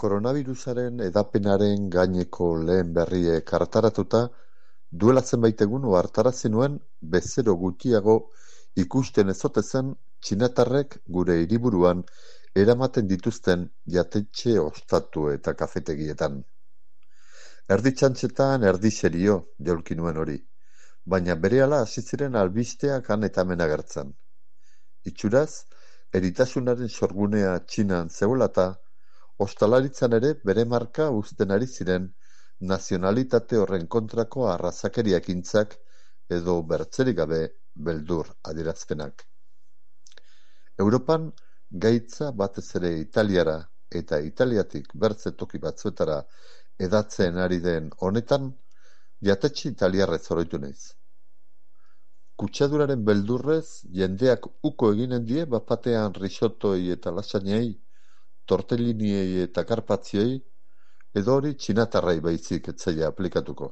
Koronavirusaren hedapenaren gaineko lehen berriek hartaratuta, duela zenbait egun ohartarazi nuen bezero gutxiago ikusten ez ote zen txinatarrek gure hiriburuan eramaten dituzten jatetxe ostatu eta kafetegietan. Erdi txantxetan erdi serio jaulki nuen hori, baina berehala hasi ziren albisteak han eta hemen agertzen. Itxuraz, eritasunaren sorgunea Txinan zegoelata, ostalaritzan ere bere marka uzten ari ziren nazionalitate horren kontrako arrazakeriakintzak edo bertzerik gabe beldur adierazpenak. Europan gaitza batez ere Italiara eta Italiatik bertze toki batzuetara hedatzen ari den honetan, jatetxe italiarrez oroitu naiz. Kutsaduraren beldurrez jendeak uko eginen die bapatean risotoi eta lasagnei, tortelliniei eta karpatzioi, edo hori txinatarrai baizik etzaia aplikatuko.